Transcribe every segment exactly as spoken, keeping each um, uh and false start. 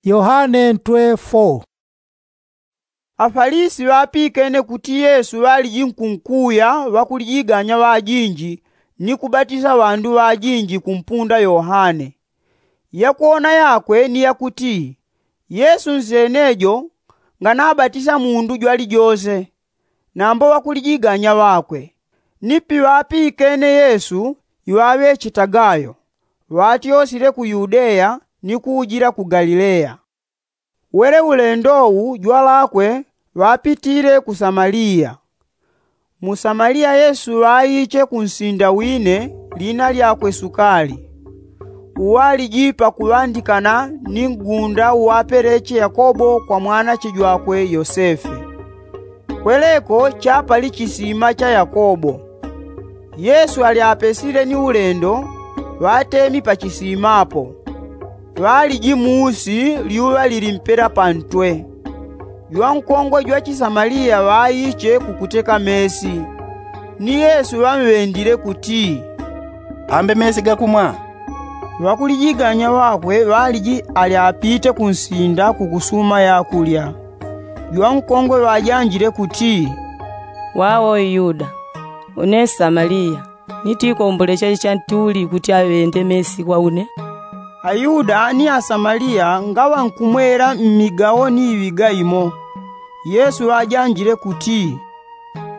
Yohane ntwe fo. Afalisi ŵapikene kuti yesu ŵaliji nkunkuya ŵakulijiganya ŵajinji ni kubatisa ŵandu ŵajinji kumpunda yohane. Yakuona yakwe ni yakuti yesu nsenejo nganabatisa mundu jwalijose. Nambo ŵakulijiganya ŵakwe ni piŵapikene yesu iŵaŵechetaga yo ŵatyosile ku yudeya ni kuujila ku galileya. Wele ulendo wu jwalakwe ŵapitile ku samaliya. Mu samaliya yesu ŵaiche ku nsinda wine lina lyakwe sukali uwaliji pakuŵandikana ni ngunda uwapeleche yakobo kwa mwanache jwakwe yosefe. Kweleko chapali chisima cha yakobo. Yesu ali apesile ni ulendo ŵatemi pa chisima apo. Ŵaliji muusi lyuŵa lili mpela pantwe. Jwankongwe jwa chisamaliya ŵaiche kukuteka mesi. Ni yesu ŵamŵendile kuti, ambe mesi gakumwa. Ŵakulijiganya ŵakwe ŵaliji ali apite kunsinda kukusuma yakulya. Jwankongwe ŵajanjile kuti, wawo yuda, une nsamaliya, ni tikombolecha chantuli kuti aŵende mesi kwa une? Ayuda ni asamaliya ngaŵankumwela mmigawo ni iŵiga imo. Yesu ŵajanjile kuti,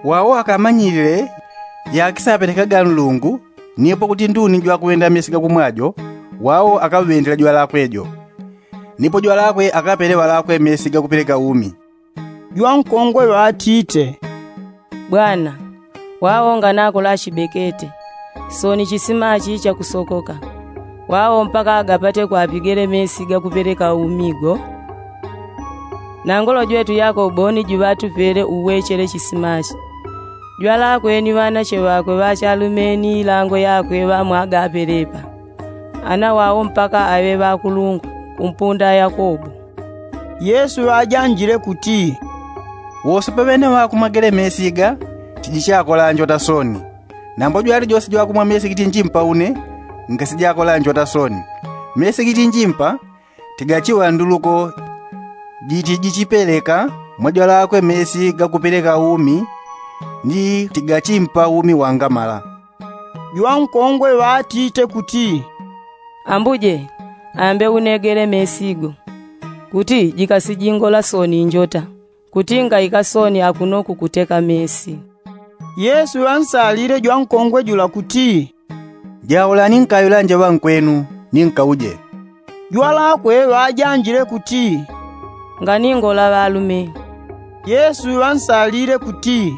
wawo akamanyilile yakisapelekaga nlungu nipo kuti nduni jwakuŵenda mesi gakumwa jo. Wawo akaŵendela jwalakwe jo nipo jwalakwe akapele ŵalakwe mesi gakupeleka umi. Jwankongwe ŵatite, bwana, wawo nganakola achibekete, soni chisima achi chakusokoka. Wawo mpaka agapate kwapigele mesi gakupeleka umi go. Nangolo jwetu yakobo ni juŵatupele uwechele chisima achi. Jwalakwe ni ŵanache ŵakwe ŵachalume ni ilango yakwe ŵamwagapelepa. Ana wawo mpaka aŵe ŵakulungwa kumpunda yakobo. Yesu ŵajanjile kuti, wose paŵene ŵakumwa gele mesi iga tijichakola njota soni. Nambo jwalijose jwakumwa mesi gitinjimpa une ngasijakola njota soni. Mesi gitinjimpa tigachiŵanduluko jitijichipeleka mwa jwalakwe mesi gakupeleka umi. Ni tigachimpa umi wangamala. Jwankongwe ŵatite kuti, ambuje, ambe une gele mesi go kuti jikasijingola soni njota kuti ngaika soni akuno kukuteka mesi. Yesu ŵansalile jwankongwe jula kuti, jaulani nkaŵilanje ŵankwenu ni nkauje. Jwalakwe ŵajanjile kuti, nganingola ŵalume. Yesu ŵansalile kuti,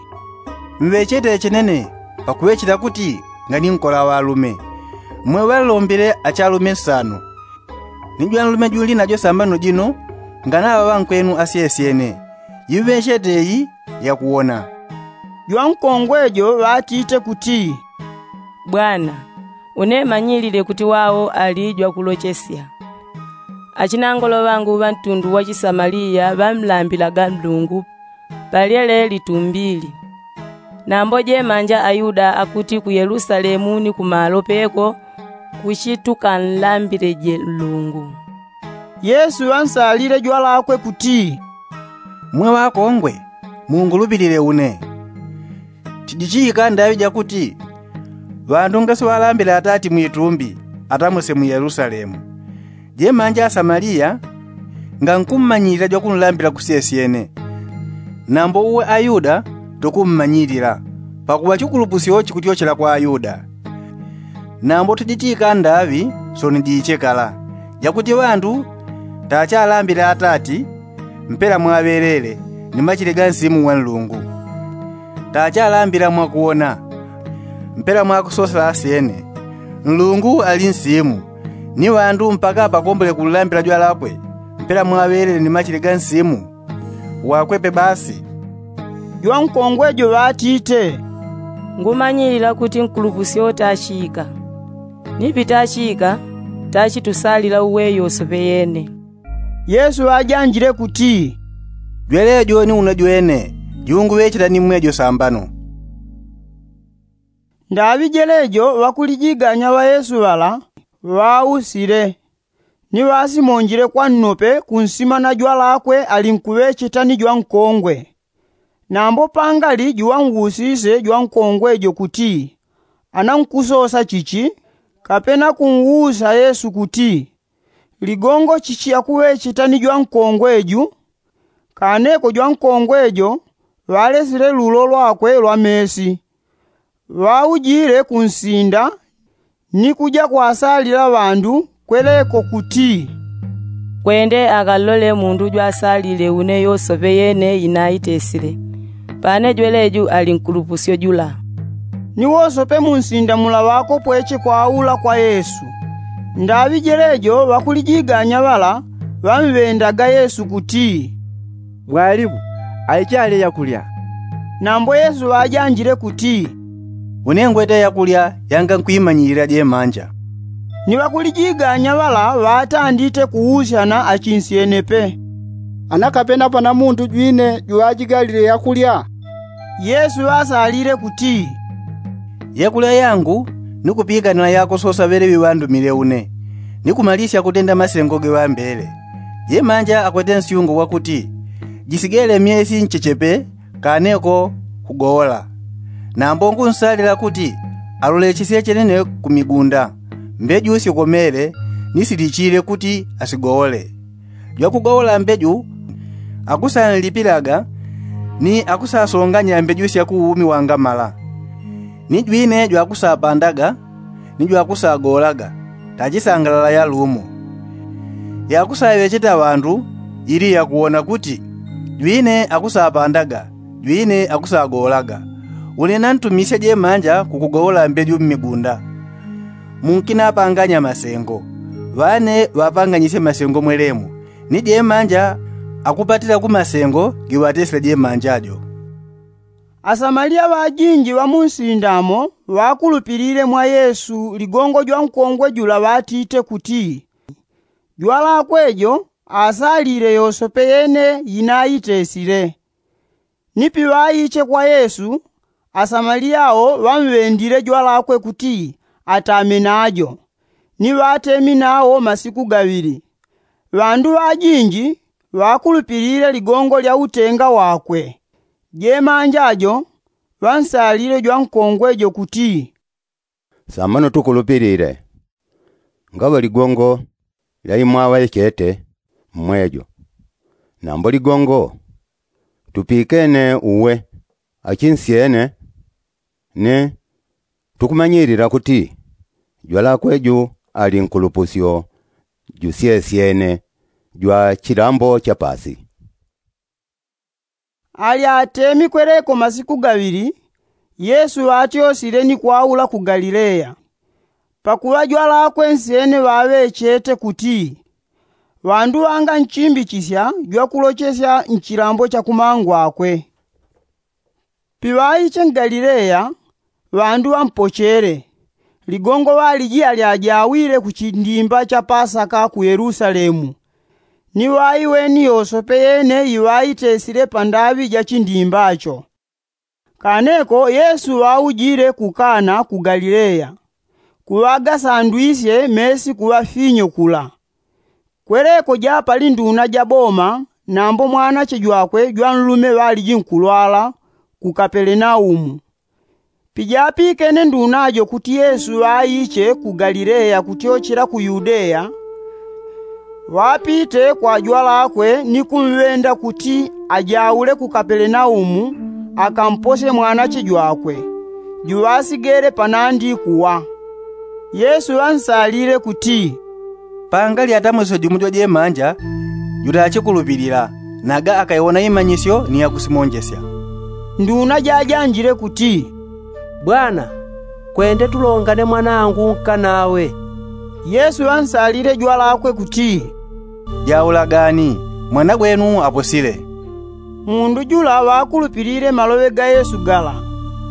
mŵechete chenene pakuŵecheta kuti nganinkola ŵalume. Mwe ŵanlombile achalume nsanu ni jwanlume junli najo sambano jino nganaŵa ŵankwenu asyesyene. Jiŵechete iyi yakuwona. Jwankongwe jo ŵatite kuti, bwana, une manyilile kuti wawo ali jwakulochesya. Achinangolo ŵangu ŵa ntundu wa chisamaliya ŵamlambilaga nlungu palyele litumbili. Nambo jemanja ayuda akuti ku yelusalemu ni kumalo peko kuchitukanlambileje nlungu. Yesu ŵansalile jwalakwe kuti, mwe ŵakongwe, mungulupilile une. Tijichiika ndaŵi jakuti ŵandu ngasiŵalambile atati mwitumbi atamuse mu yelusalemu. Jemanja asamaliya ngankummanyilila jwakunlambila kusyesyene. Nambo uwe ayuda tukummanyilila pakuŵa chikulupusyo chikutyochela kwa ayuda. Nambo tijichiika ndaŵi soni jiichekala jakuti ŵandu tachalambile atati mpela mwaŵelele ni machile ga nsimu wa nlungu. Tachalambila mwakuwona mpela mwakusosela asyene. Nlungu ali nsimu ni ŵandu mpaka pakombole kunlambila jwalakwe mpela mwaŵelele ni machile ga nsimu. Wakwepe basi. Jwankongwe jo ŵatite, ngumanyilila kuti nkulupusyo tachika. Ni pitachika tachitusalila uweyo sope yene. Yesu ŵajanjile kuti, jwelejo ni unajwene junguŵechela ni mwejo sambano. Ndaŵi jelejo ŵakulijiganya ŵa yesu ŵala ŵausile. Ni ŵasimonjile kwa nnope kunsima na jwalakwe alinkuŵecheta ni jwankongwe. Nambo pangali juŵanwusise jwankongwe jo kuti, anankusosa chichi? Kapena kunwusa yesu kuti, ligongo chichi yakuŵecheta ni jwankongwe ju? Kaneko jwankongwe jo ŵalesile lulo lwakwe lwa mesi, ŵaujile kunsinda ni kuja kwasalila ŵandu kweleko kuti, kwende akalole mundu jwasalile une yosope yene inaitesile. Pane jweleju ali nkulupusyo jula. Ni wosope munsinda mula ŵakopweche kwaula kwa yesu. Ndaŵi jelejo ŵakulijiganya ŵala ŵamŵendaga yesu kuti, mwalimu, aiche ale yakulya. Nambo yesu ŵajanjile kuti, une ngwete yakulya yangankwimanyilila jemanja. Ni ŵakulijiganya ŵala ŵatandite kuusyana achinsyene pe, ana kapena pana mundu jwine juŵajigalile yakulya? Yesu ŵasalile kuti, yakulya yangu ni kupikanila yakusosa ŵeleŵi ŵandumile une, ni kumalisya kutenda masengo geŵambele. Jemanja akwete nsyungo wakuti, jisigele myesi nchechepe kaneko kugowola. Nambo ngunsalila kuti alolechesye chenene ku migunda, mbeju sikomele ni silichile kuti asigowole. Jwakugowola mbeju akusanlipilaga, ni akusasonganya mbeju sya ku umi wangamala. Ni jwine jwakusapandaga ni jwakusagowolaga, tachisangalala yalumo. Yakusaŵecheta ŵandu ili yakuwona kuti jwine akusapandaga, jwine akusagowolaga. Une nantumisye jemanja kukugowola mbeju mmigunda. Munkinapanganya masengo, ŵane ŵapanganyisye masengo mwelemo, ni jemanja akupatila ku masengo giŵatesile jemanja jo. Asamaliya ŵajinji ŵa munsinda mo ŵakulupilile mwa yesu ligongo jwankongwe jula ŵatite kuti, jwalakwe jo asalile yosope yene yinaitesile. Ni piŵaiche kwa yesu, asamaliya wo ŵamŵendile jwalakwe kuti atame najo, ni ŵatemi nawo masiku gaŵili. Ŵandu ŵajinji ŵakulupilile ligongo lya utenga wakwe. Jemanja jo ŵansalile jwankongwe jo kuti, samano tukulupilile, ngaŵa ligongo lyaimwaŵa yechete mmwejo. Nambo ligongo tupikene uwe achinsyene, ni tukumanyilila kuti jwalakwe ju ali nkulupusyo jusyesyene jwa chilambo cha pasi. Ali atemi kweleko masiku gaŵili, yesu ŵatyosile ni kwaula ku galileya. Pakuŵa jwalakwe nsyene ŵaŵechete kuti ŵandu ŵanganchimbichisya jwakulochesya nchilambo cha kumangwakwe. Piŵaiche mgalileya, ŵandu ŵampochele. Ligongo ŵaliji alyajawile ku chindimba cha pasaka ku yelusalemu. Ni ŵaiweni yosope yene iŵaitesile pandaŵi ja chindimba cho. Kaneko yesu ŵaujile ku kana ku galileya, kuŵagasandwisye mesi kuŵa finyo kula. Kweleko japali nduna ja boma nambo mwanache jwakwe jwanlume ŵaliji nkulwala ku kapelenaumu. Pijapikene nduna jo kuti yesu ŵaiche ku galileya kutyochela ku yudeya, ŵapite kwa jwalakwe ni kumŵenda kuti ajaule ku kapelenaumu akamposye mwanache jwakwe juŵasigele panandi kuwa. Yesu ŵansalile kuti, pangali atamwesyo jumo jwajemanja jutachikulupilila, naga akaiwona imanyisyo ni yakusimonjesya. Nduna jajanjile kuti, bwana, kwende tulongane mwanangu nkanawe. Yesu ŵansalile jwalakwe kuti, jaulagani, mwana gwenu aposile. Mundu jula ŵakulupilile maloŵe ga yesu gala,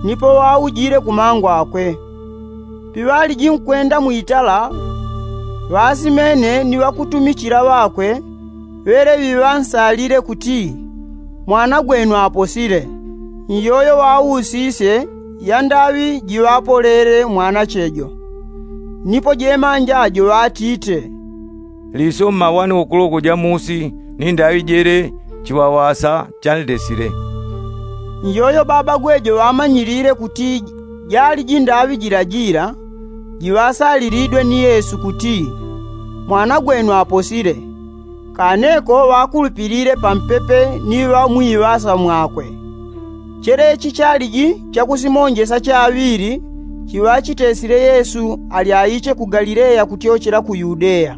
nipo ŵaujile ku mangwakwe. Piŵaliji nkwenda mwitala, ŵasimene ni ŵakutumichila ŵakwe ŵeleŵi ŵansalile kuti, mwana gwenu aposile. Nyoyo ŵausisye yandaŵi jiŵapolele mwanache jo. Nipo jemanja jo ŵatite, liso mmawani wokuloko ja musi ni ndaŵi jele chiŵawasa chanlesile. Njojo baba gwejo ŵamanyilile kuti jali jindaŵi jila jila jiŵasalilidwe ni yesu kuti mwana gwenu aposile. Kaneko ŵakulupilile pampepe ni ŵamwiŵasa mwakwe. Chelechi chaliji chakusimonjesa chaŵili chiŵachitesile yesu ali aiche ku galileya kutyochela ku yudeya.